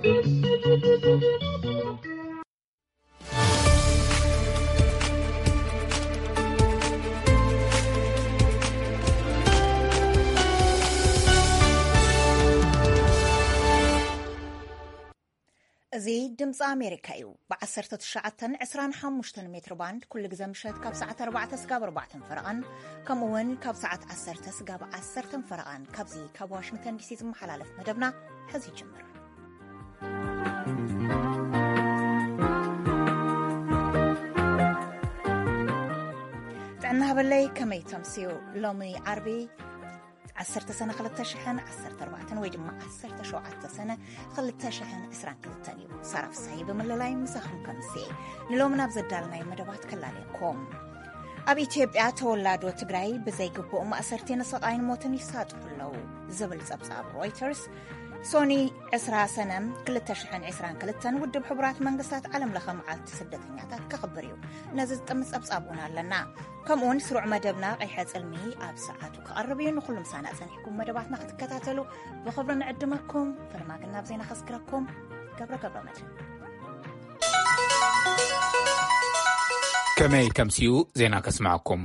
እዚ ድምፂ ኣሜሪካ እዩ። ብ19፣ 25 ሜትር ባንድ ኩሉ ግዜ ምሸት ካብ ሰዓት ኣርባዕተ ስጋብ ኣርባዕተን ፈረቓን፣ ከምኡ እውን ካብ ሰዓት ዓሰርተ ስጋብ ዓሰርተን ፈረቓን፣ ካብዚ ካብ ዋሽንግተን ዲሲ ዝመሓላለፍ መደብና ሕዚ ይጅምር። ጥዕና ሃበለይ፣ ከመይ ተምስዩ? ሎሚ ዓርቢ ዓሰርተ ሰነ ክልተ ሽሕን ዓሰርተ ኣርባዕተን ወይ ድማ ዓሰርተ ሸውዓተ ሰነ ክልተ ሽሕን ዕስራን ክልተን እዩ። ሳራ ፍሳይ ብምልላይ ምሳኹም ከምሲ ንሎሚ ናብ ዘዳልናይ መደባት ከላለየኩም። ኣብ ኢትዮጵያ ተወላዶ ትግራይ ብዘይግቡእ ማእሰርቲ ንስቓይን ሞትን ይሳጥሑ ኣለዉ ዝብል ጸብጻብ ሮይተርስ፣ ሶኒ ዕስራ ሰነ ክልተ ሽሕን ዕስራን ክልተን ውድብ ሕቡራት መንግስታት ዓለም ለኸ መዓልቲ ስደተኛታት ከኽብር እዩ። ነዚ ዝጥምት ጸብጻብ እውን ኣለና። ከምኡውን ስሩዕ መደብና ቀይሐ ጽልሚ ኣብ ሰዓቱ ክቐርብ እዩ። ንኹሉ ምሳና ጸኒሕኩም መደባትና ክትከታተሉ ብኽብሪ ንዕድመኩም። ፈርማግን ናብ ዜና ከስግረኩም ገብረ ገብረ መድህን። ከመይ ተምስዩ ዜና ከስምዐኩም።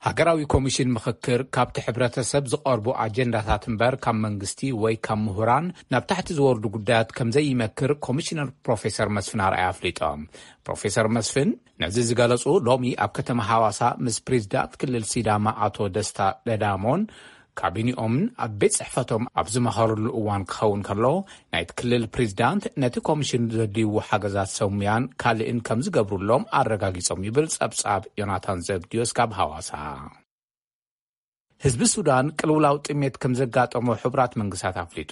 ሃገራዊ ኮሚሽን ምኽክር ካብቲ ሕብረተሰብ ዝቐርቡ ኣጀንዳታት እምበር ካብ መንግስቲ ወይ ካብ ምሁራን ናብ ታሕቲ ዝወርዱ ጉዳያት ከም ዘይመክር ኮሚሽነር ፕሮፌሰር መስፍን ኣርኣያ ኣፍሊጦም። ፕሮፌሰር መስፍን ነዚ ዝገለጹ ሎሚ ኣብ ከተማ ሃዋሳ ምስ ፕሬዚዳንት ክልል ሲዳማ ኣቶ ደስታ ለዳሞን ካቢኒኦምን ኣብ ቤት ጽሕፈቶም ኣብ ዝመኸርሉ እዋን ክኸውን ከሎ፣ ናይቲ ክልል ፕሬዚዳንት ነቲ ኮሚሽን ዘድልይዎ ሓገዛት ሰሙያን ካልእን ከም ዝገብሩሎም ኣረጋጊጾም ይብል ጸብጻብ ዮናታን ዘብድዮስ ካብ ሃዋሳ። ህዝቢ ሱዳን ቅልውላው ጥሜት ከም ዘጋጠሞ ሕቡራት መንግስታት ኣፍሊጡ።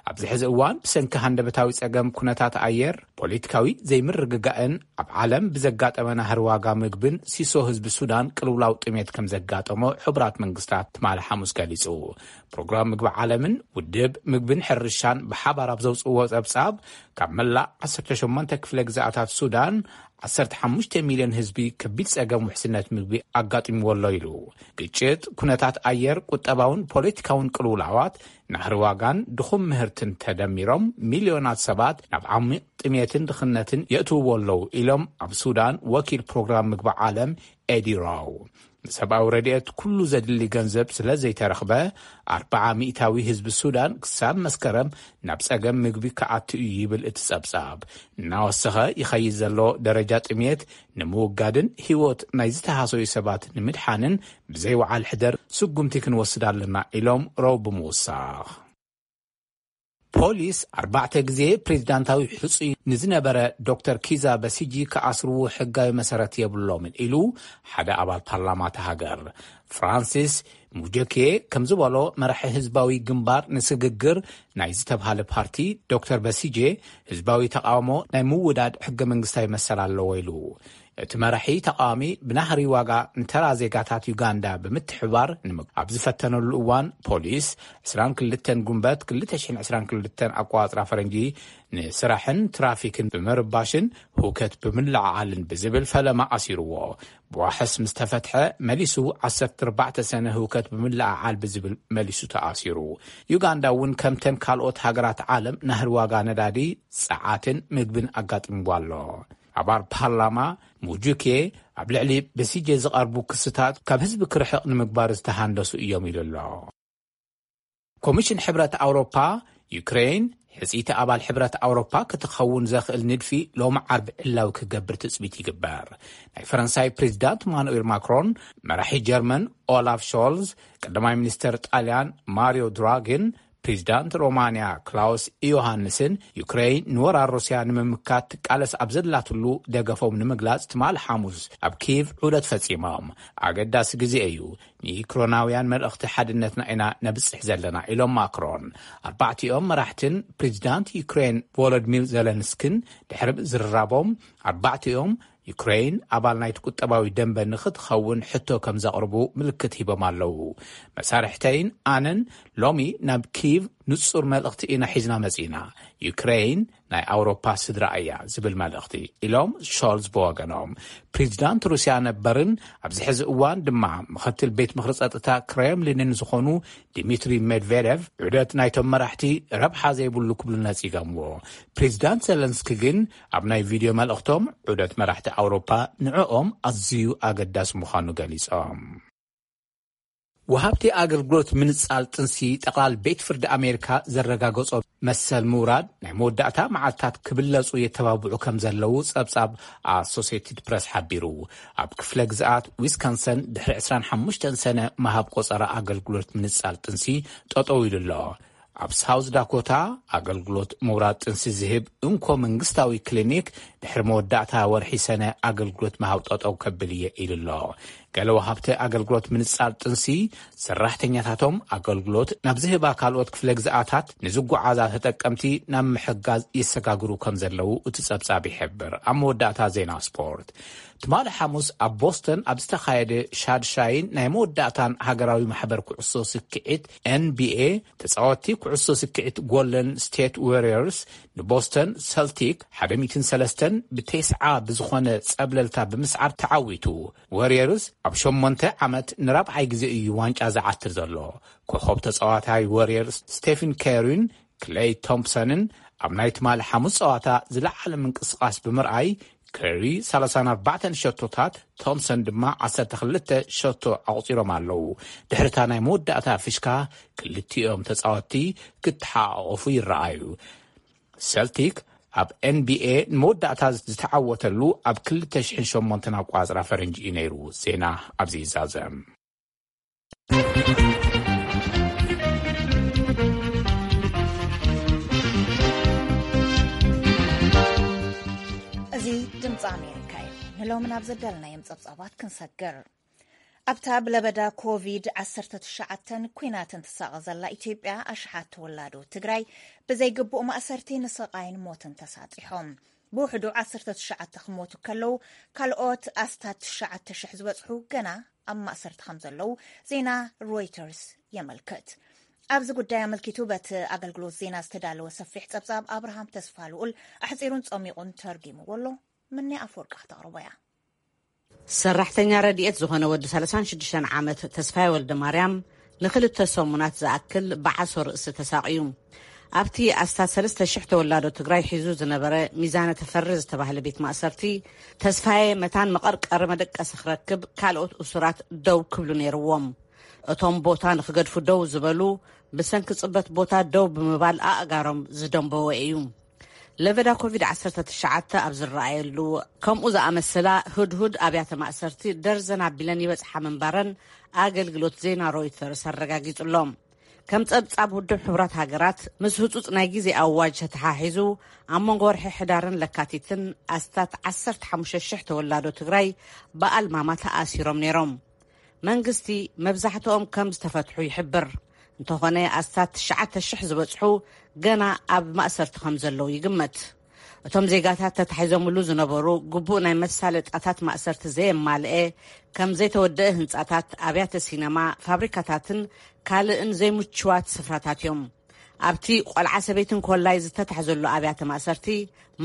ኣብዚ ሕዚ እዋን ብሰንኪ ሃንደበታዊ ጸገም ኩነታት ኣየር፣ ፖለቲካዊ ዘይምርግጋእን ኣብ ዓለም ብዘጋጠመ ናህሪ ዋጋ ምግብን ሲሶ ህዝቢ ሱዳን ቅልውላው ጥሜት ከም ዘጋጠሞ ሕቡራት መንግስታት ትማሊ ሓሙስ ገሊጹ። ፕሮግራም ምግቢ ዓለምን ውድብ ምግብን ሕርሻን ብሓባር ኣብ ዘውጽእዎ ጸብጻብ፣ ካብ መላእ ዓሰርተ ሸሞንተ ክፍለ ግዝኣታት ሱዳን ዓሰርተ ሓሙሽተ ሚልዮን ህዝቢ ከቢድ ጸገም ውሕስነት ምግቢ ኣጋጢምዎ ኣሎ ኢሉ። ግጭት፣ ኩነታት ኣየር፣ ቁጠባውን ፖለቲካውን ቅልውላዋት፣ ናህሪ ዋጋን ድኹም ምህርትን ተደሚሮም ሚልዮናት ሰባት ናብ ዓሚቕ ጥሜትን ድኽነትን የእትውዎ ኣለዉ ኢሎም ኣብ ሱዳን ወኪል ፕሮግራም ምግቢ ዓለም ኤዲ ራው። ንሰብኣዊ ረድኤት ኩሉ ዘድሊ ገንዘብ ስለ ዘይተረኽበ፣ ኣርብዓ ሚእታዊ ህዝቢ ሱዳን ክሳብ መስከረም ናብ ጸገም ምግቢ ክኣቱ እዩ ይብል እቲ ጸብጻብ። እናወሰኸ ይኸይድ ዘሎ ደረጃ ጥሜት ንምውጋድን ህይወት ናይ ዝተሃሰዩ ሰባት ንምድሓንን ብዘይ ወዓል ሕደር ስጉምቲ ክንወስድ ኣለና ኢሎም ራው ብምውሳኽ። ፖሊስ ኣርባዕተ ግዜ ፕሬዚዳንታዊ ሕጹይ ንዝነበረ ዶክተር ኪዛ በሲጂ ክኣስርዎ ሕጋዊ መሰረት የብሎምን ኢሉ ሓደ ኣባል ፓርላማ እታ ሃገር። ፍራንሲስ ሙጆኬ ከም ዝበሎ፣ መራሒ ህዝባዊ ግንባር ንስግግር ናይ ዝተብሃለ ፓርቲ ዶክተር በሲጄ ህዝባዊ ተቃውሞ ናይ ምውዳድ ሕገ መንግስታዊ መሰል ኣለዎ ኢሉ። እቲ መራሒ ተቃዋሚ ብናህሪ ዋጋ ንተራ ዜጋታት ዩጋንዳ ብምትሕባር ንምግ-፣ ኣብ ዝፈተነሉ እዋን ፖሊስ ዕስራን ክልተን ጉንበት ክልተ ሽሕን ዕስራን ክልተን ኣቆጻጽራ ፈረንጂ ንስራሕን ትራፊክን ብምርባሽን ህውከት ብምልዕዓልን ብዝብል ፈለማ ኣሲርዎ። ብዋሕስ ምስ ተፈትሐ መሊሱ ዓሰርተ ኣርባዕተ ሰነ ህውከት ብምልዕዓል ብዝብል መሊሱ ተኣሲሩ። ዩጋንዳ እውን ከምተን ካልኦት ሃገራት ዓለም ናህሪ ዋጋ ነዳዲ፣ ጸዓትን ምግብን ኣጋጢምዋ ኣሎ። ኣባል ፓርላማ ሙጁኬ ኣብ ልዕሊ በሲጄ ዝቐርቡ ክስታት ካብ ህዝቢ ክርሕቕ ንምግባር ዝተሃንደሱ እዮም ኢሉ ኣሎ። ኮሚሽን ሕብረት ኣውሮፓ፣ ዩክሬን ሕጽይቲ ኣባል ሕብረት ኣውሮፓ ክትኸውን ዘኽእል ንድፊ ሎሚ ዓርቢ ዕላዊ ክገብር ትጽቢት ይግበር። ናይ ፈረንሳይ ፕሬዚዳንት ማኑኤል ማክሮን፣ መራሒ ጀርመን ኦላፍ ሾልዝ፣ ቀዳማይ ሚኒስተር ጣልያን ማሪዮ ድራጊን ፕሬዚዳንት ሮማንያ ክላውስ ዮሃንስን፣ ዩክሬን ንወራር ሩስያ ንምምካት ትቃለስ ኣብ ዘላትሉ ደገፎም ንምግላጽ ትማሊ ሓሙስ ኣብ ኪቭ ዑደት ፈጺሞም። ኣገዳሲ ግዜ እዩ፣ ንዩክሬናውያን መልእኽቲ ሓድነትና ኢና ነብጽሕ ዘለና ኢሎም ማክሮን። ኣርባዕቲኦም መራሕትን ፕሬዚዳንት ዩክሬን ቮሎዲሚር ዘለንስኪን ድሕሪ ምዝርራቦም፣ ኣርባዕቲኦም ዩክሬን ኣባል ናይቲ ቁጠባዊ ደንበ ንኽትኸውን ሕቶ ከም ዘቕርቡ ምልክት ሂቦም ኣለዉ። መሳርሕተይን ኣነን ሎሚ ናብ ኪቭ ንጹር መልእኽቲ ኢና ሒዝና መጺና። ዩክሬን ናይ ኣውሮፓ ስድራ እያ ዝብል መልእኽቲ፣ ኢሎም ሾልዝ ብወገኖም። ፕሬዚዳንት ሩስያ ነበርን ኣብዚ ሕዚ እዋን ድማ ምኽትል ቤት ምኽሪ ጸጥታ ክሬምሊንን ዝኾኑ ዲሚትሪ ሜድቬዴቭ፣ ዑደት ናይቶም መራሕቲ ረብሓ ዘይብሉ ክብሉ ነጺጎምዎ። ፕሬዚዳንት ዘለንስኪ ግን ኣብ ናይ ቪድዮ መልእኽቶም፣ ዑደት መራሕቲ ኣውሮፓ ንዕኦም ኣዝዩ ኣገዳሲ ምዃኑ ገሊጾም። ወሃብቲ ኣገልግሎት ምንጻል ጥንሲ፣ ጠቕላል ቤት ፍርዲ ኣሜሪካ ዘረጋገጾ መሰል ምውራድ ናይ መወዳእታ መዓልታት ክብለጹ የተባብዑ ከም ዘለዉ ጸብጻብ ኣሶሴትድ ፕረስ ሓቢሩ። ኣብ ክፍለ ግዝኣት ዊስካንሰን ድሕሪ ዕስራን ሓሙሽተን ሰነ ምሃብ ቆጸራ ኣገልግሎት ምንጻል ጥንሲ ጠጠው ኢሉ ኣሎ። ኣብ ሳውዝ ዳኮታ ኣገልግሎት ምውራድ ጥንሲ ዝህብ እንኮ መንግስታዊ ክሊኒክ ድሕሪ መወዳእታ ወርሒ ሰነ ኣገልግሎት ምሃብ ጠጠው ከብል እየ ኢሉ ኣሎ። ገለ ወሃብቲ ኣገልግሎት ምንጻል ጥንሲ፣ ሰራሕተኛታቶም ኣገልግሎት ናብ ዝህባ ካልኦት ክፍለ ግዝኣታት ንዝጓዓዛ ተጠቀምቲ ናብ ምሕጋዝ ይሰጋግሩ ከም ዘለዉ እቲ ጸብጻብ ይሕብር። ኣብ መወዳእታ ዜና ስፖርት። ትማሊ ሓሙስ ኣብ ቦስተን ኣብ ዝተኻየደ ሻድሻይን ናይ መወዳእታን ሃገራዊ ማሕበር ኩዕሶ ስክዒት፣ ኤን ቢ ኤ፣ ተጻወትቲ ኩዕሶ ስክዒት ጎልደን ስቴት ዋሪየርስ ንቦስተን ሰልቲክ ሓደ ሚእትን ሰለስተን ብተስዓ ብዝኾነ ጸብለልታ ብምስዓር ተዓዊቱ። ዋሪየርስ ኣብ ሸሞንተ ዓመት ንራብዓይ ግዜ እዩ ዋንጫ ዝዓትር ዘሎ። ኮኾብ ተጻዋታይ ዋሪየርስ ስቴፊን ከሪን ክሌይ ቶምፕሰንን ኣብ ናይ ትማሊ ሓሙስ ጸዋታ ዝለዓለ ምንቅስቓስ ብምርኣይ፣ ከሪ ሰላሳን ኣርባዕተን ሸቶታት፣ ቶምሰን ድማ ዓሰርተ ክልተ ሸቶ ኣቑጺሮም ኣለዉ። ድሕሪታ ናይ መወዳእታ ፍሽካ፣ ክልቲኦም ተጻወትቲ ክተሓቋቖፉ ይረኣዩ። ሰልቲክ ኣብ ኤን ቢ ኤ ንመወዳእታ ዝተዓወተሉ ኣብ ክልተ ሽሕን ሸሞንተን ኣቋጽራ ፈረንጂ እዩ ነይሩ። ዜና ኣብዚ ይዛዘም። እዚ ድምፂ ኣሜሪካ እዩ። ንሎሚ ናብ ዘዳልናዮም ጸብጻባት ክንሰግር። ኣብታ ብለበዳ ኮቪድ ዓሰርተ ትሽዓተን ኲናትን ትሳቐ ዘላ ኢትዮጵያ፣ ኣሽሓት ተወላዶ ትግራይ ብዘይግቡእ ማእሰርቲ ንስቓይን ሞትን ተሳጢሖም። ብውሕዱ ዓሰርተ ትሽዓተ ክሞቱ ከለዉ፣ ካልኦት ኣስታት ትሽዓተ ሽሕ ዝበጽሑ ገና ኣብ ማእሰርቲ ከም ዘለዉ ዜና ሮይተርስ የመልክት። ኣብዚ ጉዳይ ኣመልኪቱ በቲ ኣገልግሎት ዜና ዝተዳለወ ሰፊሕ ጸብጻብ ኣብርሃም ተስፋ ልኡል ኣሕጺሩን ጸሚቑን ተርጊምዎ ኣሎ። ምንያ ኣፈወርቂ ክተቕርቦ እያ። ሰራሕተኛ ረድኤት ዝኾነ ወዲ ሰላሳን ሽዱሽተን ዓመት ተስፋይ ወልደ ማርያም ንኽልተ ሰሙናት ዝኣክል ብዓሶ ርእሲ ተሳቕዩ። ኣብቲ ኣስታት ሰለስተ ሽሕ ተወላዶ ትግራይ ሒዙ ዝነበረ ሚዛነ ተፈሪ ዝተባህለ ቤት ማእሰርቲ፣ ተስፋዬ መታን መቐርቀሪ መደቀሲ ክረክብ ካልኦት እሱራት ደው ክብሉ ነይርዎም። እቶም ቦታ ንኽገድፉ ደው ዝበሉ፣ ብሰንኪ ጽበት ቦታ ደው ብምባል ኣእጋሮም ዝደንበወ እዩ። ለበዳ ኮቪድ ዓሰርተ ትሽዓተ ኣብ ዝረኣየሉ፣ ከምኡ ዝኣመሰላ ህድሁድ ኣብያተ ማእሰርቲ ደርዘን ኣቢለን ይበጽሓ ምንባረን ኣገልግሎት ዜና ሮይተርስ ኣረጋጊጹ ኣሎ። ከም ጸብጻብ ውድብ ሕቡራት ሃገራት፣ ምስ ህጹጽ ናይ ግዜ ኣዋጅ ተተሓሒዙ፣ ኣብ መንጎ ወርሒ ሕዳርን ለካቲትን ኣስታት ዓሰርተ ሓሙሽተ ሽሕ ተወላዶ ትግራይ ብኣልማማ ተኣሲሮም ነይሮም። መንግስቲ መብዛሕትኦም ከም ዝተፈትሑ ይሕብር። እንተኾነ፣ ኣስታት ትሽዓተ ሽሕ ዝበጽሑ ገና ኣብ ማእሰርቲ ከም ዘለዉ ይግመት። እቶም ዜጋታት ተታሒዞምሉ ዝነበሩ ግቡእ ናይ መሳለጣታት ማእሰርቲ ዘየማልአ፣ ከም ዘይተወደአ ህንጻታት፣ ኣብያተ ሲነማ፣ ፋብሪካታትን ካልእን ዘይምችዋት ስፍራታት እዮም። ኣብቲ ቆልዓ ሰበይትን ኮላይ ዝተታሕዘሉ ኣብያተ ማእሰርቲ፣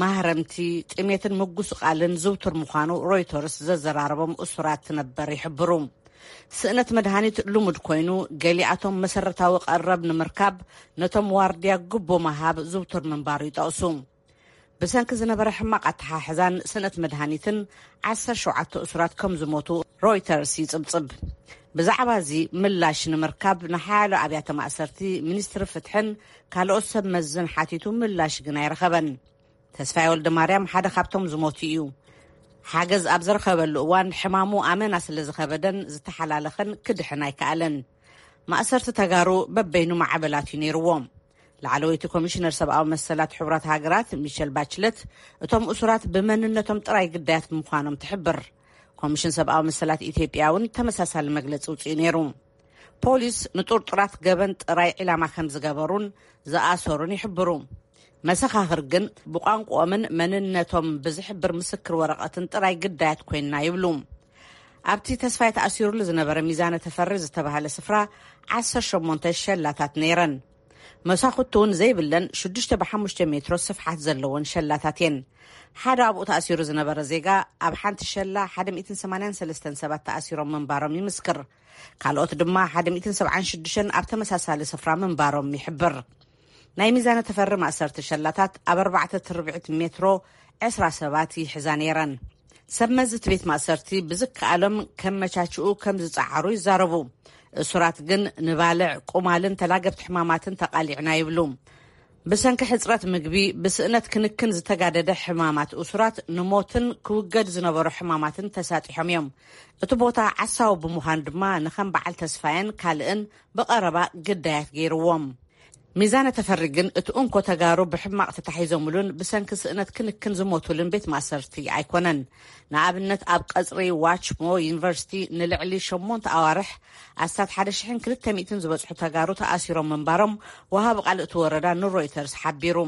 ማህረምቲ፣ ጥሜትን ምጉስቓልን ዝውቱር ምዃኑ ሮይተርስ ዘዘራረቦም እሱራት ነበር ይሕብሩ። ስእነት መድሃኒት ልሙድ ኮይኑ፣ ገሊኣቶም መሰረታዊ ቀረብ ንምርካብ ነቶም ዋርድያ ግቦ ምሃብ ዝውቱር ምንባሩ ይጠቕሱ። ብሰንኪ ዝነበረ ሕማቕ ኣተሓሕዛን ስእነት መድሃኒትን ዓሰርተ ሸውዓተ እሱራት ከም ዝሞቱ ሮይተርስ ይጽብጽብ። ብዛዕባ እዚ ምላሽ ንምርካብ ንሓያሎ ኣብያተ ማእሰርቲ፣ ሚኒስትሪ ፍትሕን ካልኦት ሰብ መዝን ሓቲቱ፣ ምላሽ ግን ኣይረኸበን። ተስፋይ ወልደ ማርያም ሓደ ካብቶም ዝሞቱ እዩ። ሓገዝ ኣብ ዝረኸበሉ እዋን፣ ሕማሙ ኣመና ስለ ዝኸበደን ዝተሓላለኸን ክድሕን ኣይከኣለን። ማእሰርቲ ተጋሩ በበይኑ ማዕበላት እዩ ነይርዎ። ላዕለወይቲ ኮሚሽነር ሰብኣዊ መሰላት ሕቡራት ሃገራት ሚሸል ባችለት፣ እቶም እሱራት ብመንነቶም ጥራይ ግዳያት ብምዃኖም ትሕብር። ኮሚሽን ሰብኣዊ መሰላት ኢትዮጵያ እውን ተመሳሳሊ መግለጺ ውፅኡ ነይሩ። ፖሊስ ንጥርጡራት ገበን ጥራይ ዒላማ ከም ዝገበሩን ዝኣሰሩን ይሕብሩ። መሰኻኽር ግን ብቋንቋኦምን መንነቶም ብዝሕብር ምስክር ወረቐትን ጥራይ ግዳያት ኮይንና ይብሉ። ኣብቲ ተስፋይ ተኣሲሩሉ ዝነበረ ሚዛነ ተፈሪ ዝተባህለ ስፍራ ዓሰርተ ሸሞንተ ሸላታት ነይረን። መሳኹቲ እውን ዘይብለን ሽዱሽተ ብሓሙሽተ ሜትሮ ስፍሓት ዘለወን ሸላታት እየን። ሓደ ኣብኡ ተኣሲሩ ዝነበረ ዜጋ፣ ኣብ ሓንቲ ሸላ ሓደ ሚእትን ሰማንያን ሰለስተን ሰባት ተኣሲሮም ምንባሮም ይምስክር። ካልኦት ድማ ሓደ ሚእትን ሰብዓን ሽዱሽተን ኣብ ተመሳሳሊ ስፍራ ምንባሮም ይሕብር። ናይ ሚዛነ ተፈሪ ማእሰርቲ ሸላታት ኣብ ኣርባዕተ ትርብዒት ሜትሮ ዕስራ ሰባት ይሕዛ ነይረን። ሰብ መዚ እቲ ቤት ማእሰርቲ ብዝከኣሎም ከመቻችኡ ከም ዝጸዓሩ ይዛረቡ። እሱራት ግን ንባልዕ፣ ቁማልን ተላገብቲ ሕማማትን ተቓሊዕና ይብሉ። ብሰንኪ ሕጽረት ምግቢ፣ ብስእነት ክንክን ዝተጋደደ ሕማማት እሱራት ንሞትን ክውገድ ዝነበሮ ሕማማትን ተሳጢሖም እዮም። እቲ ቦታ ዓሳዊ ብምዃኑ ድማ ንኸም በዓል ተስፋየን ካልእን ብቐረባ ግዳያት ገይርዎም። ሚዛነ ተፈሪ ግን እቲ እንኮ ተጋሩ ብሕማቕ ተታሒዞምሉን ብሰንኪ ስእነት ክንክን ዝሞቱልን ቤት ማእሰርቲ ኣይኮነን። ንኣብነት ኣብ ቀጽሪ ዋችሞ ዩኒቨርሲቲ ንልዕሊ ሸሞንተ ኣዋርሕ ኣስታት ሓደ ሽሕን ክልተ ሚእትን ዝበጽሑ ተጋሩ ተኣሲሮም ምንባሮም ወሃቢ ቃል እቲ ወረዳ ንሮይተርስ ሓቢሩ።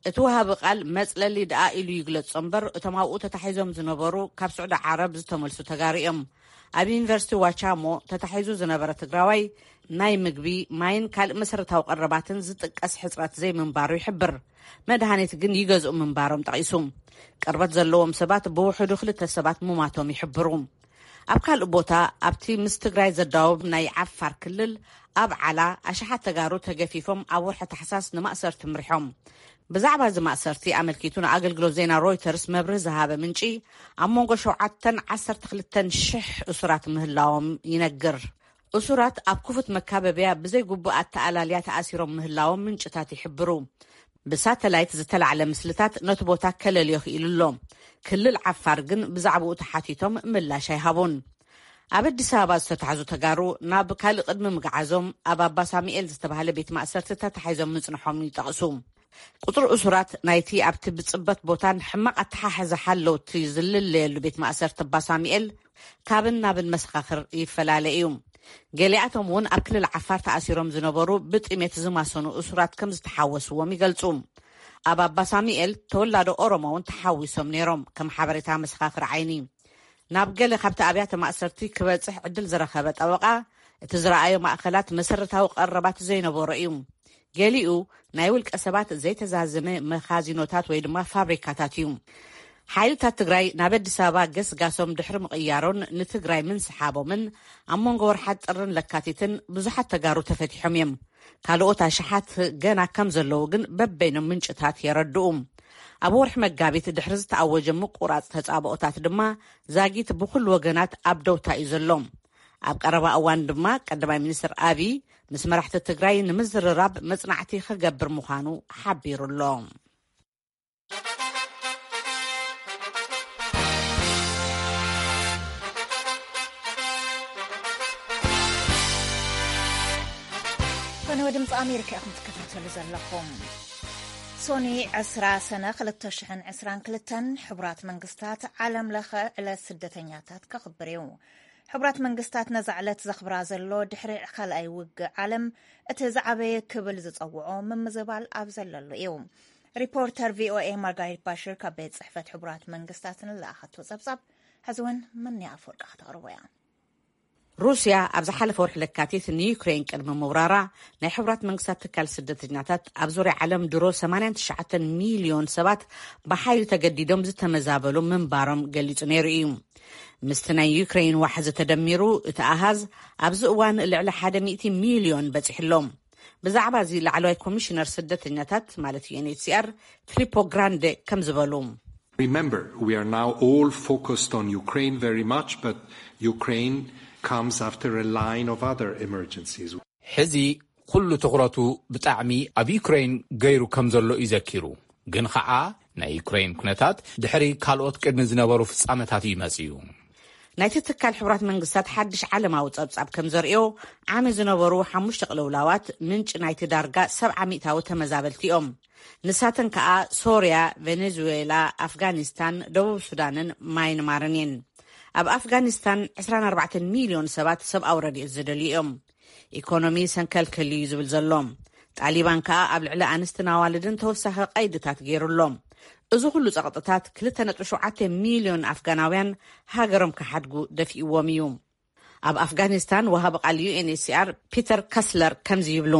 እቲ ወሃቢ ቃል መጽለሊ ደኣ ኢሉ ይግለጾ እምበር፣ እቶም ኣብኡ ተታሒዞም ዝነበሩ ካብ ስዑዲ ዓረብ ዝተመልሱ ተጋሩ እዮም። ኣብ ዩኒቨርሲቲ ዋቻሞ ተታሒዙ ዝነበረ ትግራዋይ ናይ ምግቢ፣ ማይን ካልእ መሰረታዊ ቀረባትን ዝጥቀስ ሕጽረት ዘይምንባሩ ይሕብር። መድሃኒት ግን ይገዝኡ ምንባሮም ጠቒሱ። ቅርበት ዘለዎም ሰባት ብውሕዱ ክልተ ሰባት ምማቶም ይሕብሩ። ኣብ ካልእ ቦታ፣ ኣብቲ ምስ ትግራይ ዘዳውብ ናይ ዓፋር ክልል ኣብ ዓላ ኣሽሓት ተጋሩ ተገፊፎም ኣብ ወርሒ ታሕሳስ ንማእሰርቲ ምሪሖም። ብዛዕባ እዚ ማእሰርቲ ኣመልኪቱ ንኣገልግሎት ዜና ሮይተርስ መብርሂ ዝሃበ ምንጪ፣ ኣብ መንጎ ሸውዓተን ዓሰርተ ክልተን ሽሕ እሱራት ምህላዎም ይነግር። እሱራት ኣብ ክፉት መካበብያ ብዘይ ግቡእ ኣተኣላልያ ተኣሲሮም ምህላዎም ምንጭታት ይሕብሩ። ብሳተላይት ዝተላዕለ ምስልታት ነቲ ቦታ ከለልዮ ክኢሉ ኣሎ። ክልል ዓፋር ግን ብዛዕባኡ ተሓቲቶም ምላሽ ኣይሃቡን። ኣብ ኣዲስ ኣበባ ዝተታሕዙ ተጋሩ ናብ ካልእ ቅድሚ ምግዓዞም ኣብ ኣባ ሳሙኤል ዝተባህለ ቤት ማእሰርቲ ተታሒዞም ምጽንሖም ይጠቕሱ። ቁጽሪ እሱራት ናይቲ ኣብቲ ብጽበት ቦታን ሕማቕ ኣተሓሕዛ ሓለውቲ ዝልለየሉ ቤት ማእሰርቲ ኣባ ሳሙኤል ካብን ናብን መሰኻኽር ይፈላለ እዩ። ገሊኣቶም እውን ኣብ ክልል ዓፋር ተኣሲሮም ዝነበሩ ብጥሜት ዝማሰኑ እሱራት ከም ዝተሓወስዎም ይገልጹ። ኣብ ኣባ ሳሙኤል ተወላዶ ኦሮሞ እውን ተሓዊሶም ነይሮም፣ ከም ሓበሬታ መሰኻኽር ዓይኒ። ናብ ገለ ካብቲ ኣብያተ ማእሰርቲ ክበጽሕ ዕድል ዝረኸበ ጠበቓ፣ እቲ ዝረኣዮ ማእከላት መሰረታዊ ቀረባት ዘይነበሮ እዩ። ገሊኡ ናይ ውልቀ ሰባት ዘይተዛዘመ መኻዚኖታት ወይ ድማ ፋብሪካታት እዩ። ሓይልታት ትግራይ ናብ ኣዲስ ኣበባ ገስጋሶም ድሕሪ ምቕያሮን ንትግራይ ምንስሓቦምን ኣብ መንጎ ወርሓት ጥርን ለካቲትን ብዙሓት ተጋሩ ተፈቲሖም እዮም። ካልኦት ኣሽሓት ገና ከም ዘለዉ ግን በበይኖም ምንጭታት የረድኡ። ኣብ ወርሒ መጋቢት ድሕሪ ዝተኣወጀ ምቁራጽ ተጻብኦታት ድማ ዛጊት ብኹሉ ወገናት ኣብ ደውታ እዩ ዘሎ። ኣብ ቀረባ እዋን ድማ ቀዳማይ ሚኒስትር ኣብይ ምስ መራሕቲ ትግራይ ንምዝርራብ መጽናዕቲ ክገብር ምዃኑ ሓቢሩ ኣሎ። ከነ ድምፂ ኣሜሪካ ኢኹም ትከታተሉ ዘለኹም። ሶኒ ዕስራ ሰነ ክልተ ሽሕን ዕስራን ክልተን ሕቡራት መንግስታት ዓለም ለኸ ዕለት ስደተኛታት ከኽብር እዩ። ሕቡራት መንግስታት ነዛ ዕለት ዘኽብራ ዘሎ ድሕሪ ካልኣይ ውግእ ዓለም እቲ ዝዓበየ ክብል ዝጸውዖ ምምዝባል ኣብ ዘለሉ እዩ። ሪፖርተር ቪኦኤ ማርጋሪት ባሽር ካብ ቤት ጽሕፈት ሕቡራት መንግስታት ንለኣኸቶ ጸብጻብ ሕዚ እውን መኒ ኣፈወርቂ ከተቕርቦ እያ። ሩስያ ኣብ ዝሓለፈ ወርሒ ለካቲት ንዩክሬን ቅድሚ ምውራራ ናይ ሕቡራት መንግስታት ትካል ስደተኛታት ኣብ ዙርያ ዓለም ድሮ ሰማንያን ትሽዓተን ሚልዮን ሰባት ብሓይሊ ተገዲዶም ዝተመዛበሉ ምንባሮም ገሊጹ ነይሩ እዩ። ምስቲ ናይ ዩክሬን ዋሕዚ ተደሚሩ እቲ ኣሃዝ ኣብዚ እዋን ልዕሊ ሓደ ሚእቲ ሚልዮን በጺሑ ኣሎ። ብዛዕባ እዚ ላዕለዋይ ኮሚሽነር ስደተኛታት ማለት ዩኤንኤችሲኣር ፊሊፖ ግራንዴ ከም ዝበሉ። Remember, we are now all focused on Ukraine very much, but Ukraine comes after a line of other emergencies. ሕዚ ኩሉ ትኹረቱ ብጣዕሚ ኣብ ዩክሬን ገይሩ ከም ዘሎ እዩ ዘኪሩ። ግን ኸዓ ናይ ዩክሬን ኩነታት ድሕሪ ካልኦት ቅድሚ ዝነበሩ ፍጻመታት እዩ መጺኡ። ናይቲ ትካል ሕቡራት መንግስታት ሓድሽ ዓለማዊ ጸብጻብ ከም ዘርእዮ ዓሚ ዝነበሩ ሓሙሽተ ቅልውላዋት ምንጪ ናይቲ ዳርጋ ሰብዓ ሚእታዊ ተመዛበልቲ እዮም። ንሳተን ከኣ ሶርያ፣ ቬኔዙዌላ፣ ኣፍጋኒስታን፣ ደቡብ ሱዳንን ማይንማርን እየን። ኣብ ኣፍጋኒስታን ዕስራን ኣርባዕተን ሚልዮን ሰባት ሰብኣዊ ረድኤት ዝደልዩ እዮም። ኢኮኖሚ ሰንከልከል እዩ ዝብል ዘሎ። ጣሊባን ከኣ ኣብ ልዕሊ ኣንስትን ኣዋልድን ተወሳኺ ቀይድታት ገይሩ ኣሎ። እዚ ኩሉ ጸቕጥታት ክልተ ነጥቢ ሸውዓተ ሚልዮን ኣፍጋናውያን ሃገሮም ክሓድጉ ደፊእዎም እዩ። ኣብ ኣፍጋኒስታን ወሃቢ ቃል ዩኤንኤችሲኣር ፒተር ከስለር ከምዚ ይብሉ።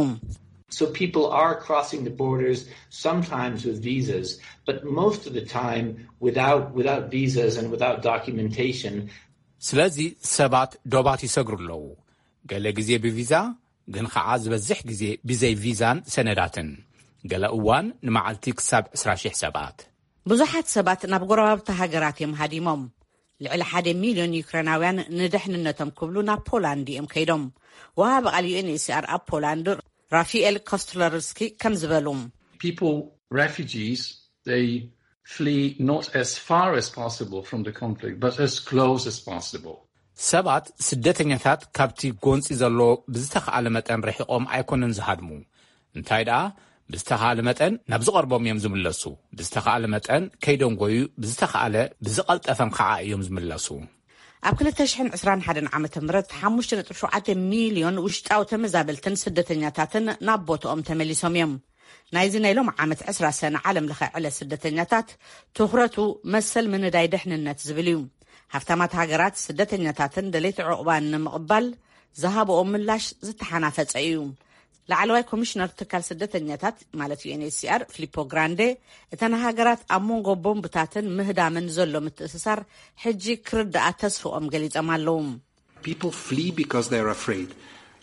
So people are crossing the borders, sometimes with visas, but most of the time without, without visas and without documentation. ስለዚ ሰባት ዶባት ይሰግሩ ኣለዉ። ገለ ግዜ ብቪዛ፣ ግን ኸዓ ዝበዝሕ ግዜ ብዘይ ቪዛን ሰነዳትን። ገለ እዋን ንመዓልቲ ክሳብ ዕስራ ሺሕ ሰባት። ብዙሓት ሰባት ናብ ጎረባብቲ ሃገራት እዮም ሃዲሞም። ልዕሊ ሓደ ሚልዮን ዩክሬናውያን ንደሕንነቶም ክብሉ ናብ ፖላንድ እዮም ከይዶም። ወሃቢ ቃል ዩ ኤን ኤች ሲ ኣር ኣብ ፖላንድ ራፊኤል ኮስትለርስኪ ከም ዝበሉ፣ People, refugees, they flee not as far as possible from the conflict, but as close as possible. ሰባት፣ ስደተኛታት፣ ካብቲ ጎንጺ ዘሎ ብዝተኻእለ መጠን ርሒቖም ኣይኮነን ዝሃድሙ። እንታይ ደኣ፣ ብዝተኻእለ መጠን ናብ ዝቐርቦም እዮም ዝምለሱ። ብዝተኻእለ መጠን ከይደንጎዩ፣ ብዝተኻእለ ብዝቐልጠፈን ከዓ እዮም ዝምለሱ። ኣብ ክልተ ሽሕን ዕስራን ሓደን ዓመተ ምህረት ሓሙሽተ ነጥቢ ሸውዓተ ሚልዮን ውሽጣዊ ተመዛበልትን ስደተኛታትን ናብ ቦትኦም ተመሊሶም እዮም። ናይዚ ናይ ሎም ዓመት ዕስራ ሰነ ዓለም ለኸ ዕለት ስደተኛታት ትኹረቱ መሰል ምንዳይ ድሕንነት ዝብል እዩ። ሃፍታማት ሃገራት ስደተኛታትን ደለይቲ ዕቑባን ንምቕባል ዝሃብኦ ምላሽ ዝተሓናፈጸ እዩ። ላዕለዋይ ኮሚሽነር ትካል ስደተኛታት ማለት ዩ ኤን ኤች ሲ ኣር ፊሊፖ ግራንዴ፣ እተን ሃገራት ኣብ መንጎ ቦምብታትን ምህዳምን ዘሎ ምትእስሳር ሕጂ ክርዳኣ ተስፍኦም ገሊጾም ኣለዉ። People flee because they're afraid.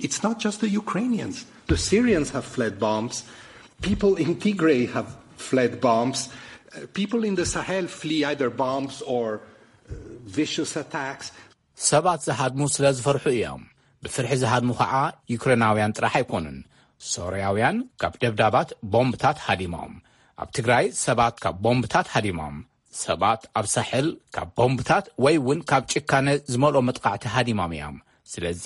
It's not just the Ukrainians. The Syrians have fled bombs. People in Tigray have fled bombs. Uh, people in the Sahel flee either bombs or uh, vicious attacks. ሰባት ዝሃድሙ ስለ ዝፈርሑ እዮም። ብፍርሒ ዝሃድሙ ከዓ ዩክሬናውያን ጥራሕ ኣይኮኑን። ሶርያውያን ካብ ደብዳባት ቦምብታት ሃዲሞም። ኣብ ትግራይ ሰባት ካብ ቦምብታት ሃዲሞም። ሰባት ኣብ ሳሕል ካብ ቦምብታት ወይ እውን ካብ ጭካነ ዝመልኦ መጥቃዕቲ ሃዲሞም እዮም። ስለዚ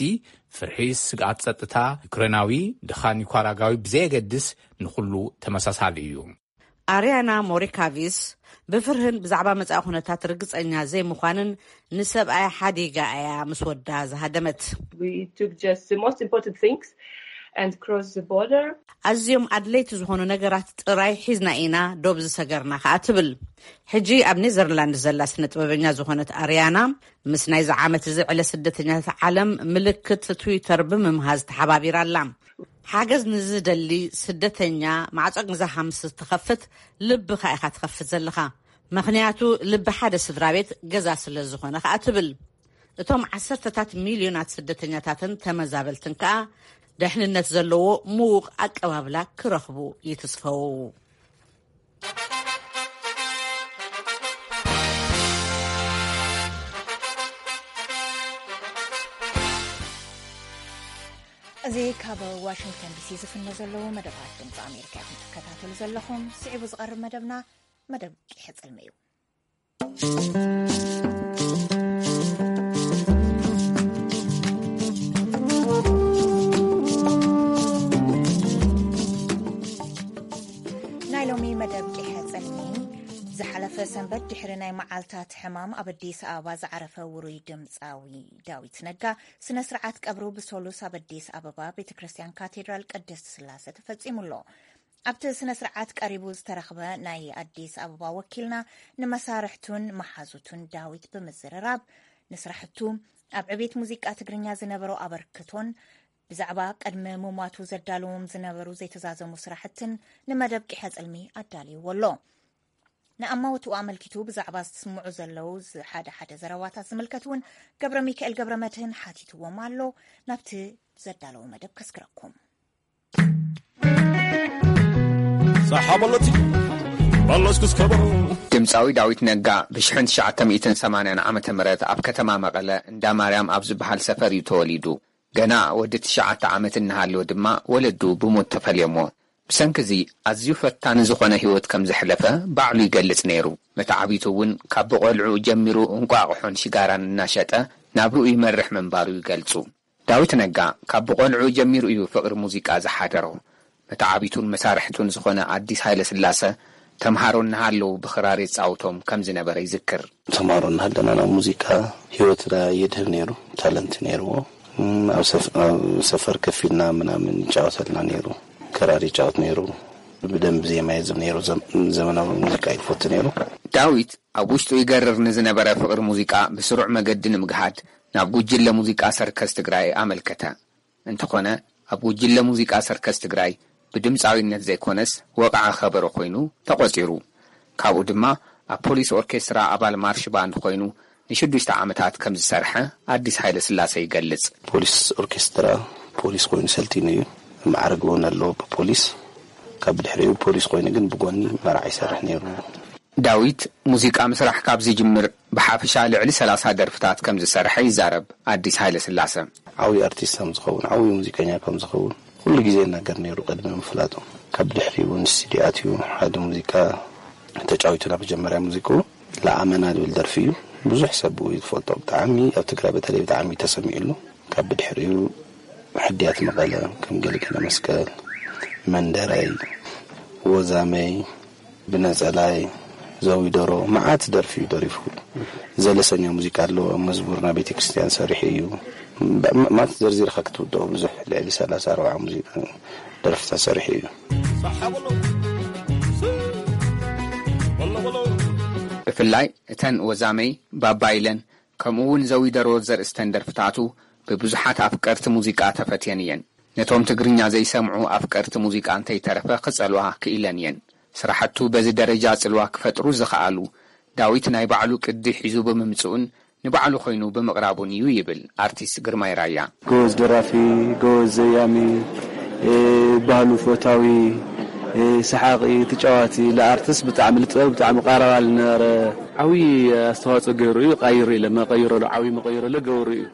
ፍርሒ፣ ስግኣት ጸጥታ፣ ዩክሬናዊ ድኻ ኒኳራጋዊ ብዘየገድስ ንኹሉ ተመሳሳሊ እዩ። ኣርያና ሞሪካቪስ ብፍርህን ብዛዕባ መጻኢ ኩነታት ርግጸኛ ዘይምዃንን ንሰብኣይ ሓዲጋ እያ ምስ ወዳ ዝሃደመት። We took just the most important things and crossed the border. ኣዝዮም ኣድለይቲ ዝኾኑ ነገራት ጥራይ ሒዝና ኢና ዶብ ዝሰገርና ከኣ ትብል። ሕጂ ኣብ ኔዘርላንድ ዘላ ስነ ጥበበኛ ዝኾነት ኣርያና ምስ ናይዚ ዓመት እዚ ዕለ ስደተኛታት ዓለም ምልክት ትዊተር ብምምሃዝ ተሓባቢራ ኣላ። ሓገዝ ንዝደሊ ስደተኛ ማዕጾ ገዛኻ ምስ ትኸፍት ልብኻ ኢኻ ትኸፍት ዘለኻ። ምኽንያቱ ልቢ ሓደ ስድራ ቤት ገዛ ስለ ዝኾነ ከኣ ትብል። እቶም ዓሰርተታት ሚልዮናት ስደተኛታትን ተመዛበልትን ከኣ ደሕንነት ዘለዎ ምዉቕ ኣቀባብላ ክረኽቡ ይትስፈው። እዚ ካብ ዋሽንግተን ዲሲ ዝፍኖ ዘለዉ መደባት ድምፂ ኣሜሪካ ኢኹም ትከታተሉ ዘለኹም። ስዒቡ ዝቐርብ መደብና መደብ ቂሐ ጽልሚ እዩ። ናይ ሎሚ መደብ ቂሐ ጽልሚ ዝሓለፈ ሰንበት ድሕሪ ናይ መዓልታት ሕማም ኣብ ኣዲስ ኣበባ ዝዓረፈ ውሩይ ድምፃዊ ዳዊት ነጋ ስነ ስርዓት ቀብሩ ብሶሉስ ኣብ ኣዲስ ኣበባ ቤተ ክርስቲያን ካቴድራል ቅድስት ስላሴ ተፈጺሙ ኣሎ። ኣብቲ ስነ ስርዓት ቀሪቡ ዝተረኽበ ናይ ኣዲስ ኣበባ ወኪልና ንመሳርሕቱን መሓዙቱን ዳዊት ብምዝርራብ ንስራሕቱ ኣብ ዕቤት ሙዚቃ ትግርኛ ዝነበሮ ኣበርክቶን ብዛዕባ ቅድሚ ምሟቱ ዘዳልዎም ዝነበሩ ዘይተዛዘሙ ስራሕትን ንመደብ ቂሐ ጽልሚ ኣዳልይዎ ኣሎ። ንኣማውትኡ ኣመልኪቱ ብዛዕባ ዝስምዑ ዘለዉ ሓደ ሓደ ዘረባታት ዝምልከት እውን ገብረ ሚካኤል ገብረ መድህን ሓቲትዎም ኣሎ። ናብቲ ዘዳለዎ መደብ ከስግረኩም። ሳሓ በለቲ በለስኩስ ከበሮ። ድምፃዊ ዳዊት ነጋ ብ ትሽዓተ ሚእትን ሰማንያን ዓመተ ምህረት ኣብ ከተማ መቐለ እንዳ ማርያም ኣብ ዝበሃል ሰፈር እዩ ተወሊዱ። ገና ወዲ ትሽዓተ ዓመት እናሃለወ ድማ ወለዱ ብሞት ተፈልዮሞ። ብሰንኪ እዚ ኣዝዩ ፈታኒ ዝኾነ ህይወት ከም ዘሕለፈ ባዕሉ ይገልጽ ነይሩ። መተዓቢቱ እውን ካብ ብቖልዕኡ ጀሚሩ እንቋቑሖን ሽጋራን እናሸጠ ናብርኡ ይመርሕ ምንባሩ ይገልጹ። ዳዊት ነጋ ካብ ብቖልዕኡ ጀሚሩ እዩ ፍቕሪ ሙዚቃ ዝሓደሮ። መተዓቢቱን መሳርሕቱን ዝኾነ ኣዲስ ሃይለስላሰ ተምሃሮ እናሃለዉ ብኽራር የጻውቶም ከም ዝነበረ ይዝክር። ተምሃሮ እናሃለና ናብ ሙዚቃ ህይወትና የድህብ ነይሩ፣ ታለንት ነይርዎ። እም፣ ኣብ ሰፍ-፣ ኣብ ሰፈር ከፊልና ምናምን ይጫወተልና ነይሩ። ክራር ይጫወት ነይሩ። ብደንብ ዜማ የዝም ነይሩ። ዘም-፣ ዘመናዊ ሙዚቃ ይፈቱ ነይሩ። ዳዊት ኣብ ውሽጡ ይገርር ንዝነበረ ፍቕሪ ሙዚቃ ብስሩዕ መገዲ ንምግሃድ ናብ ጉጅለ ሙዚቃ ሰርከስ ትግራይ ኣመልከተ። እንተኾነ ኣብ ጉጅለ ሙዚቃ ሰርከስ ትግራይ ብድምፃዊነት ዘይኮነስ ወቕዓ ከበሮ ኮይኑ ተቖፂሩ። ካብኡ ድማ ኣብ ፖሊስ ኦርኬስትራ ኣባል ማርሽ ባንድ ኮይኑ ንሽዱሽተ ዓመታት ከም ዝሰርሐ ኣዲስ ሃይለ ስላሰ ይገልጽ። ፖሊስ ኦርኬስትራ ፖሊስ ኮይኑ ሰልጢኑ እዩ። ማዕረግ እውን ኣለዎ ብፖሊስ። ካብ ድሕሪኡ ፖሊስ ኮይኑ ግን ብጎኒ መርዓ ይሰርሕ ነይሩ። ዳዊት ሙዚቃ ምስራሕ ካብ ዝጅምር ብሓፈሻ ልዕሊ ሰላሳ ደርፍታት ከም ዝሰርሐ ይዛረብ ኣዲስ ሃይለ ስላሰ። ዓብዪ ኣርቲስት ከም ዝኸውን፣ ዓብዪ ሙዚቀኛ ከም ዝኸውን ኩሉ ግዜ ይናገር ነይሩ ቅድሚ ምፍላጡ። ካብ ድሕሪኡ እውን ስቱዲዮ ኣትዩ ሓደ ሙዚቃ ተጫዊቱ ናብ መጀመርያ ሙዚቅኡ ለኣመና ዝብል ደርፊ እዩ። ብዙሕ ሰብ እዩ ዝፈልጦ። ብጣዕሚ ኣብ ትግራይ በተለይ ብጣዕሚ ተሰሚዕሉ። ካብ ብድሕሪኡ ሕድያት መቐለ ከም ገለገለ መስቀል፣ መንደረይ፣ ወዛመይ፣ ብነጸላይ፣ ዘዊደሮ መዓት ደርፊ እዩ ደሪፉ። ዘለሰኛ ሙዚቃ ኣለዎ። መዝሙር ናይ ቤተክርስትያን ሰሪሑ እዩ። ብ-፣ ም-፣ ማለት ዘርዚርካ ክትውድኦ ብዙሕ ልዕሊ ሰላሳ ኣርባዓ ሙዚቃ ደርፍታት ሰሪሑ እዩ። ብፍላይ እተን ወዛመይ፣ ባባ ኢለን፣ ከምኡ እውን ዘዊደሮ ዘርእስተን ደርፍታቱ ብብዙሓት ኣፍቀርቲ ሙዚቃ ተፈትየን እየን። ነቶም ትግርኛ ዘይሰምዑ ኣፍቀርቲ ሙዚቃ እንተይተረፈ ክጸልዋ ክኢለን እየን። ስራሕቱ በዚ ደረጃ ጽልዋ ክፈጥሩ ዝኸኣሉ ዳዊት ናይ ባዕሉ ቅዲ ሒዙ ብምምጽኡን ንባዕሉ ኮይኑ ብምቕራቡን እዩ ይብል ኣርቲስት ግርማይ ራያ። ጎበዝ ደራፊ፣ ጎበዝ ዘያሚ፣ እ፣ ባህሉ ፈታዊ፣ እ፣ ሰሓቒ፣ ተጫዋቲ፣ ለኣርትስ ብጣዕሚ ልጥበብ ብጣዕሚ ቃረባ ልነበረ ዓብዪ ኣስተዋፅኦ ገይሩ እዩ። ቃይሩ ኢለ መቐይረሉ ዓብዪ መቐይረሉ ገብሩ እዩ።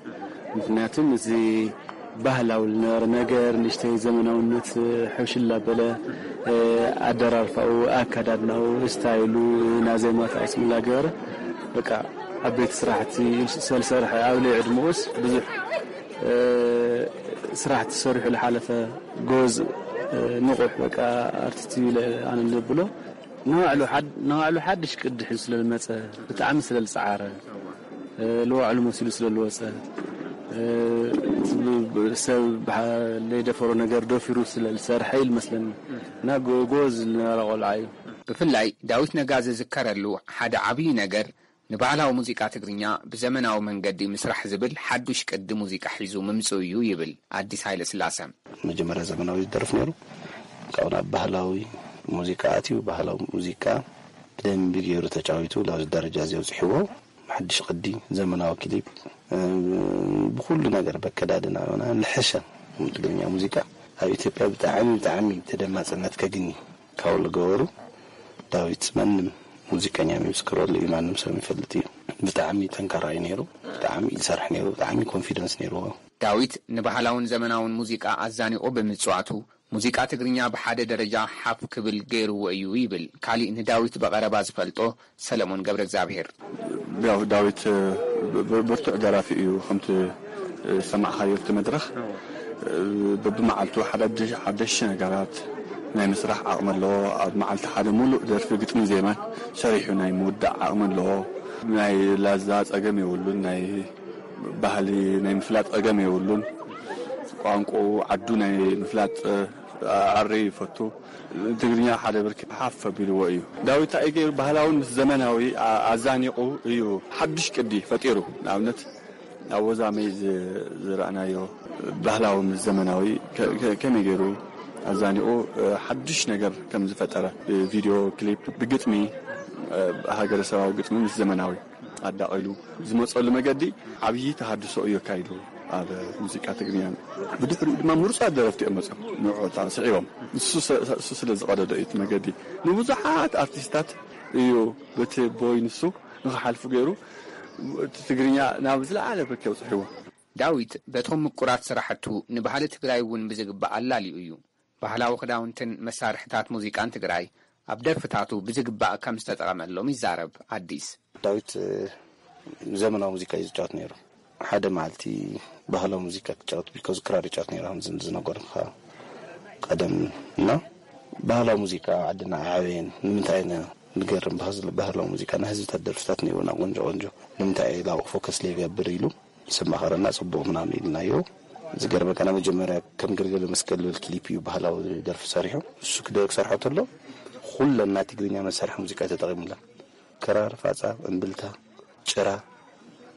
ምክንያቱም እዚ ባህላዊ ልነበረ ነገር ንእሽተይ ዘመናውነት ሕውሽል ኣበለ፣ እ፣ ኣደራርፋኡ፣ ኣከዳድናኡ፣ ስታይሉ፣ ናዜማታት ኣስምላ ገበረ። በቃ ዓበይቲ ስራሕቲ ሰልሰርሐ ኣብ ልዕሊ ዕድመኡስ ብዙሕ፣ እ፣ ስራሕቲ ሰሪሑ ዝሓለፈ ጎዝ፣ እ፣ ንቑሕ በቃ ኣርቲስት እዩ ኢለ ኣነ ዘብሎ። ንባዕሉ ሓድ-፣ ንባዕሉ ሓድሽ ቅዲ ሒዙ ስለ ዝመጸ፣ ብጣዕሚ ስለ ዝጸዓረ፣ እ፣ ንባዕሉ መሲሉ ስለ ዝወጸ፣ እ፣ ሰብ ብሓ-፣ ዘይደፈሮ ነገር ደፊሩ ስለ ዝሰርሐ እዩ ዝመስለኒ። እና ጎ-፣ ጎበዝ ዝነበረ ቆልዓ እዩ። ብፍላይ ዳዊት ነጋ ዝዝከረሉ ሓደ ዓብዪ ነገር ንባህላዊ ሙዚቃ ትግርኛ ብዘመናዊ መንገዲ ምስራሕ ዝብል ሓዱሽ ቅዲ ሙዚቃ ሒዙ ምምጽኡ እዩ ይብል ኣዲስ ሃይለስላሰ። መጀመርያ ዘመናዊ ይደርፍ ነይሩ። ካብኡ ናብ ባህላዊ ሙዚቃ ኣትዩ፣ ባህላዊ ሙዚቃ ብደንቢ ገይሩ ተጫዊቱ ላብዚ ደረጃ እዚ ኣውፅሕዎ። ሓድሽ ቅዲ፣ ዘመናዊ ክሊፕ፣ እ፣ ብኩሉ ነገር በከዳድና ሆና ልሐሸ ትግርኛ ሙዚቃ ኣብ ኢትዮጵያ ብጣዕሚ፣ ብጣዕሚ ተደማፅነት ከግኒ ካብ ዝገበሩ ዳዊት ማንም ሙዚቀኛ ይምስክረሉ እዩ፣ ማንም ሰብ ይፈልጥ እዩ። ብጣዕሚ ጠንካራ እዩ ነይሩ፣ ብጣዕሚ እዩ ዝሰርሕ ነይሩ፣ ብጣዕሚ ኮንፊደንስ ነይርዎ። ዳዊት ንባህላውን ዘመናውን ሙዚቃ ኣዛኒቑ ብምጽዋቱ፣ ሙዚቃ ትግርኛ ብሓደ ደረጃ ሓፍ ክብል ገይርዎ እዩ ይብል ካሊእ ንዳዊት ብቐረባ ዝፈልጦ ሰለሞን ገብረ እግዚኣብሄር። ያው ዳዊት፣ ብ-፣ ብ-፣ ብርቱዕ ደራፊ እዩ። ከምቲ፣ እ፣ ዝሰማዕካዮ ኣብቲ መድረኽ፣ እ፣ በብመዓልቱ ሓዳድሽ-፣ ሓደሽቲ ነገራት ናይ ምስራሕ ዓቕሚ ኣለዎ። ኣብ መዓልቲ ሓደ ሙሉእ ደርፊ ግጥሚ ዜማን ሰሪሑ ናይ ምውዳእ ዓቕሚ ኣለዎ። ናይ ላዛ ጸገም የብሉን። ናይ ባህሊ ናይ ምፍላጥ ጸገም የብሉን። ቋንቋኡ ዓዱ ናይ ምፍላጥ፣ እ፣ ኣሪ ይፈቱ። ትግርኛ ሓደ ብርኪ ሓፍ ኣቢልዎ እዩ። ዳዊት እንታይ ገይሩ? ባህላውን ምስ ዘመናዊ ኣ-፣ ኣዛኒቑ እዩ ሓድሽ ቅዲ ፈጢሩ። ንኣብነት ኣብ ወዛመይ ዝ-፣ ዝረኣናዮ ባህላዊ ምስ ዘመናዊ ከ-፣ ከ-፣ ከመይ ገይሩ ኣዛኒቑ፣ እ፣ ሓድሽ ነገር ከም ዝፈጠረ ብቪድዮ ክሊፕ፣ ብግጥሚ፣ እ፣ ሃገረሰባዊ ግጥሚ ምስ ዘመናዊ ኣዳቒሉ ዝመፀሉ መገዲ ዓብዪ ተሃድሶ እዩ ኣካይዱ ኣብ ሙዚቃ ትግርኛ። ብድሕሪኡ ድማ ምሩፃት ደረፍቲ እዮም መፅኦም ንዕኡ ስዒቦም። ንሱ ሰ-፣ እሱ ስለ ዝቐደዶ እዩ እቲ መገዲ። ንብዙሓት ኣርቲስታት እዩ በቲ ቦይ ንሱ ንኽሓልፉ ገይሩ እቲ ትግርኛ ናብ ዝለዓለ ብርኪ ኣውፅሕዎ። ዳዊት በቶም ምቁራት ስራሕቱ ንባህሊ ትግራይ እውን ብዝግባእ ኣላልዩ እዩ። ባህላዊ ክዳውንትን መሳርሕታት ሙዚቃን ትግራይ ኣብ ደርፍታቱ ብዝግባእ ከም ዝተጠቐመሎም ይዛረብ ኣዲስ። ዳዊት፣ እ፣ ዘመናዊ ሙዚቃ እዩ ዝጫወት ነይሩ። ሓደ መዓልቲ ባህላዊ ሙዚቃ ክጫወት ቢልኮ ክራር ይጫወት ነይሩ፣ ከም ዝን-፣ ዝነገርኩኻ ቀደም እና ባህላዊ ሙዚቃ ዓድና ዓበየን ንምንታይ ኢና ንገርም ባህዝ-፣ ባህላዊ ሙዚቃ ናይ ህዝብታት ደርፍታት ነይሩና ቆንጆ ቆንጆ ንምንታይ ኢላ ፎከስ ዘይገብር ኢሉ ምስ ኣማኸረና ጽቡቕ ምናምን ኢልናዮ። ዝገርመካ ናይ መጀመርያ ከም ገልገለ መስቀል ዝብል ክሊፕ እዩ ባህላዊ ደርፊ ሰሪሑ። እሱ ክደ-፣ ክሰርሖ ተሎ ኩለን ናይ ትግርኛ መሳርሒ ሙዚቃ ተጠቒሙለን። ክራር፣ ፋጻ፣ እምብልታ፣ ጭራ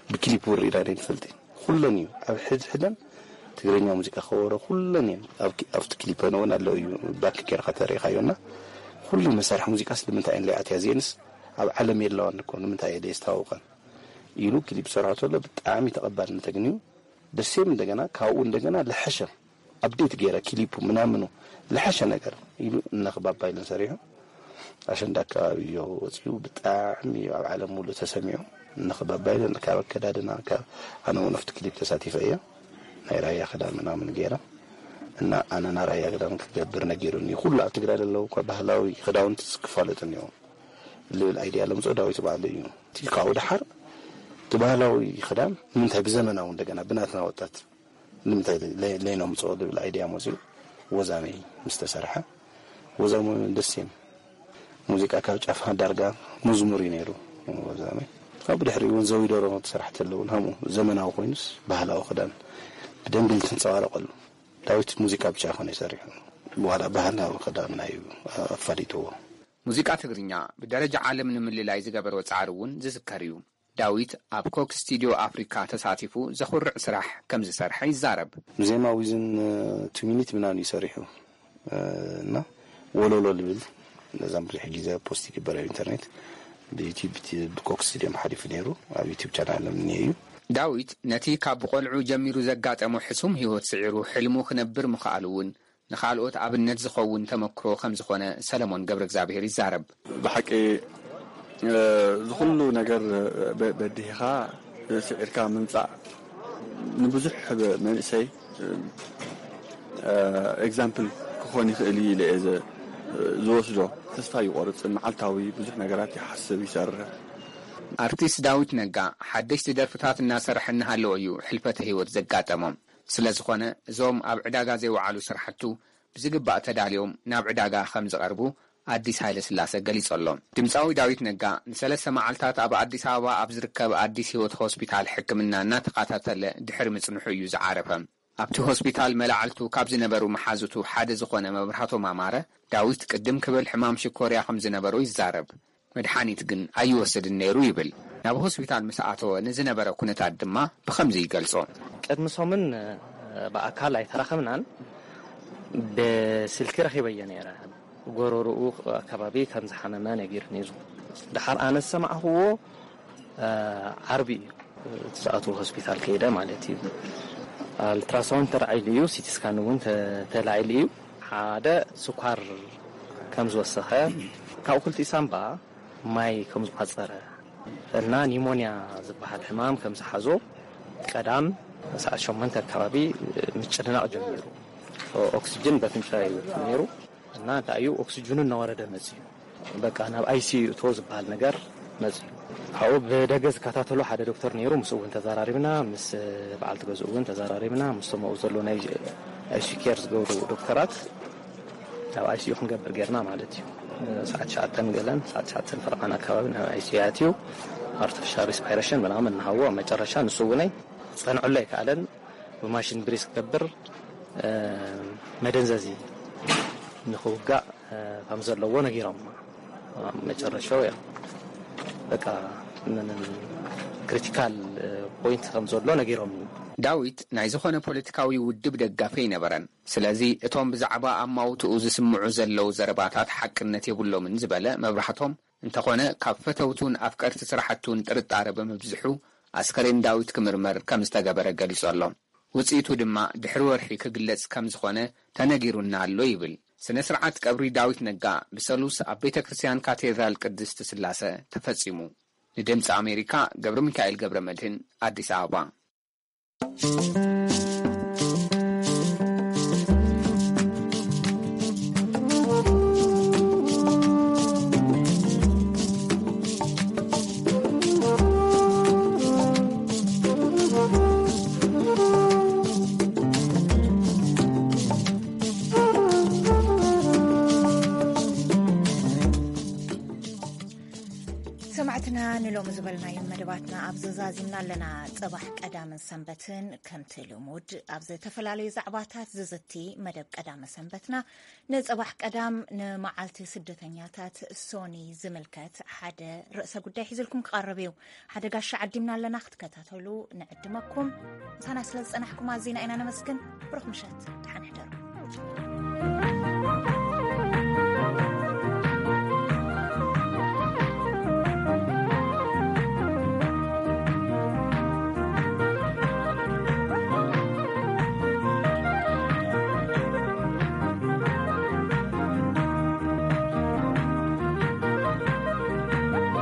ብክሊፕ ውር ኢላ ናይ ትፈልጥ ኩለን እዩ። ኣብ ሕድ ሕደን ትግርኛ ሙዚቃ ከበሮ ኩለን እየን። ኣብቲ ክሊፐን እውን ኣለዉ እዩ። ባክ ጌርካ ተሪኢኻዮና ኩሉ መሳርሒ ሙዚቃስ ንምንታይ እየን ለይኣትያ እዚአንስ ኣብ ዓለም የለዋን እኮ ንምንታይ እየ ደየስተዋውቀን ኢሉ ክሊፕ ሰርሖ ተሎ ብጣዕሚ ተቐባልነት ተግንዩ። ደሴም እንደገና ካብኡ እንደገና ለሐሸ ኣፕዴት ገይረ ክሊፑ ምናምኑ ለሐሸ ነገር ኢሉ እነኽባባ ኢለን ሰሪሑ። ኣሸንዳ ኣካባቢ እዮ ወፂኡ ብጣዕሚ ኣብ ዓለም ሙሉእ ተሰሚዑ። እነኽባባ ኢለን ካብ ኣከዳድና ካብ ኣነ እውን ኣብቲ ክሊፕ ተሳቲፈ እየ። ናይ ራያ ክዳን ምናምን ገይረ እና ኣነ ናይ ራያ ክዳን ክገብር ነጊሩኒ። ኩሉ ኣብ ትግራይ ዘለዉ እኳ ባህላዊ ክዳውንቲ ክፋለጡ እኒኦም ልብል ኣይድያ ለምፅኦ ዳዊት ባዕሉ እዩ። እቲ ካብኡ ደሓር እቲ ባህላዊ ክዳን ንምንታይ ብዘመናዊ እንደገና ብናትና ወጣት ንምንታይ ለይ- ለይነምፅኦ ልብል ኣይድያ መፅኡ ወዛመይ ምስ ተሰርሐ ወዛሙ ደስ እየም ሙዚቃ ካብ ጫፍ ዳርጋ መዝሙር እዩ ነይሩ ወዛመይ። ካብኡ ድሕሪ እውን ዘዊደሮ ትስራሕ ተለውን ሃሙ ዘመናዊ ኮይኑስ ባህላዊ ክዳን ብደንቢ ትንፀባረቀሉ። ዳዊት ሙዚቃ ብቻ ይኮነ ይሰሪሑ ዋላ ባህላዊ ክዳንና እዩ ኣፋሊጥዎ። ሙዚቃ ትግርኛ ብደረጃ ዓለም ንምልላይ ዝገበሮ ጻዕሪ እውን ዝዝከር እዩ። ዳዊት ኣብ ኮክ ስቱድዮ ኣፍሪካ ተሳቲፉ ዘኹርዕ ስራሕ ከም ዝሰርሐ ይዛረብ። ብዜማ ዊዝን ቱ ሚኒት ምናምን እዩ ሰሪሑ እና ወሎሎ ልብል ነዛም ብዙሕ ግዜ ፖስት ይግበር ኣብ ኢንተርኔት ብዩቲብ ብኮክ ስቱድዮም ሓሊፉ ነይሩ ኣብ ዩቲብ ቻናል እምኒ እዩ። ዳዊት ነቲ ካብ ብቆልዑ ጀሚሩ ዘጋጠሞ ሕሱም ህይወት ስዒሩ ሕልሙ ክነብር ምኽኣሉ እውን ንኻልኦት ኣብነት ዝኸውን ተመክሮ ከም ዝኾነ ሰለሞን ገብረእግዚኣብሄር ይዛረብ። ብሓቂ እዚ ኩሉ ነገር በዲህኻ ስዒርካ ምምፃእ ንብዙሕ መንእሰይ ኤግዛምፕል ክኾን ይኽእል እዩ ኢለ እየ ዝወስዶ። ተስፋ ይቆርፅን መዓልታዊ ብዙሕ ነገራት ይሓስብ ይሰርሕ። ኣርቲስት ዳዊት ነጋ ሓደሽቲ ደርፍታት እናሰርሐ እናሃለወ እዩ ሕልፈተ ህይወት ዘጋጠሞ። ስለዝኾነ እዞም ኣብ ዕዳጋ ዘይወዓሉ ስራሕቱ ብዝግባእ ተዳልዮም ናብ ዕዳጋ ከም ዝቐርቡ ኣዲስ ሃይለስላሰ ገሊጹ ኣሎ። ድምጻዊ ዳዊት ነጋ ንሰለስተ መዓልታት ኣብ ኣዲስ ኣበባ ኣብ ዝርከብ ኣዲስ ህይወት ሆስፒታል ሕክምና እናተኸታተለ ድሕሪ ምጽንሑ እዩ ዝዓረፈ። ኣብቲ ሆስፒታል መላዕልቱ ካብ ዝነበሩ መሓዙቱ ሓደ ዝኾነ መብራህቶም ኣማረ፣ ዳዊት ቅድም ክብል ሕማም ሽኮርያ ከም ዝነበሮ ይዛረብ። መድሓኒት ግን ኣይወስድን ነይሩ ይብል። ናብ ሆስፒታል ምስ ኣተወ ንዝነበረ ኩነታት ድማ ብኸምዚ ይገልጾ። ቅድሚ ሰሙን ብኣካል ኣይተራኸብናን፣ ብስልኪ ረኺበዮ ነይረ። ጎረርኡ ኣከባቢ ከም ዝሓመመ ነጊሩኒ እዩ። ድሓር ኣነ ዝሰማዕኽዎ ዓርቢ እዩ እቲ ዝኣትዎ ሆስፒታል ከይደ ማለት እዩ። ኣልትራሳውንድ ተላዒሉ እዩ፣ ሲቲ ስካን እውን ተላዒሉ እዩ። ሓደ ስኳር ከም ዝወሰኸ፣ ካብኡ ክልቲኡ ሳምባ ማይ ከም ዝቋፀረ እና ኒሞንያ ዝበሃል ሕማም ከም ዝሓዞ ቀዳም ሰዓት ሸሞንተ ኣከባቢ ምጭንናቕ ጀሚሩ። ኦክስጅን በፍንጫ ይወርድ ነይሩ እና እንታይ እዩ ኦክስጅኑ እናወረደ መፅዩ። በቃ ናብ ኣይሲዩ እቶ ዝበሃል ነገር መፅዩ። ካብኡ ብደገ ዝከታተሎ ሓደ ዶክተር ነይሩ። ምስኡ እውን ተዘራሪብና፣ ምስ በዓልቲ ገዝኡ እውን ተዘራሪብና፣ ምስቶም ኣብኡ ዘሎ ናይ ኣይሲዩ ኬር ዝገብሩ ዶክተራት ናብ ኣይሲዩ ክንገብር ጌርና ማለት እዩ። ሰዓት ትሽዓተ ገለን ሰዓት ትሽዓተ ፈረቓን ኣከባቢ ናብ ኣይሲዩ ኣትዩ ኣርቲፊሻል ሪስፓይሬሽን ምናምን እናሃዎ ኣብ መጨረሻ ንሱ እውን ፀንዕሎ ኣይከኣለን። ብማሽን ብሪስ ክገብር መደንዘዚ ንክውጋእ ከም ዘለዎ ነጊሮም መጨረሻው ያ በቃ ምንም ክሪቲካል ፖይንት ከም ዘሎ ነጊሮም። ዳዊት ናይ ዝኾነ ፖለቲካዊ ውድብ ደጋፊ ኣይነበረን። ስለዚ እቶም ብዛዕባ ኣማውትኡ ዝስምዑ ዘለዉ ዘረባታት ሓቅነት የብሎምን ዝበለ መብራህቶም፣ እንተኾነ ካብ ፈተውቱን ኣፍቀርቲ ስራሕቱን ጥርጣረ ብምብዝሑ ኣስከሬን ዳዊት ክምርመር ከም ዝተገበረ ገሊጹ ኣሎ። ውጽኢቱ ድማ ድሕሪ ወርሒ ክግለጽ ከም ዝኾነ ተነጊሩና ኣሎ ይብል። ስነ ስርዓት ቀብሪ ዳዊት ነጋ ብሰሉስ ኣብ ቤተ ክርስቲያን ካቴድራል ቅድስት ስላሰ ተፈጺሙ። ንድምፂ ኣሜሪካ ገብረ ሚካኤል ገብረ መድህን ኣዲስ ኣበባ። ሰማዕትና ንሎሚ ዝበልናዮም መደባትና ኣብ ዘዛዚምና ኣለና። ጽባሕ ቀዳምን ሰንበትን ከምቲ ልሙድ ኣብ ዝተፈላለዩ ዛዕባታት ዝዝቲ መደብ ቀዳመ ሰንበትና ንጽባሕ ቀዳም ንመዓልቲ ስደተኛታት ሶኒ ዝምልከት ሓደ ርእሰ ጉዳይ ሒዝልኩም ክቐርብ እዩ። ሓደ ጋሻ ዓዲምና ኣለና ክትከታተሉ ንዕድመኩም። ምሳና ስለ ዝጸናሕኩም ኣዚና ኢና ነመስግን። ብሩኽ ምሸት፣ ደሓን ሕደሩ።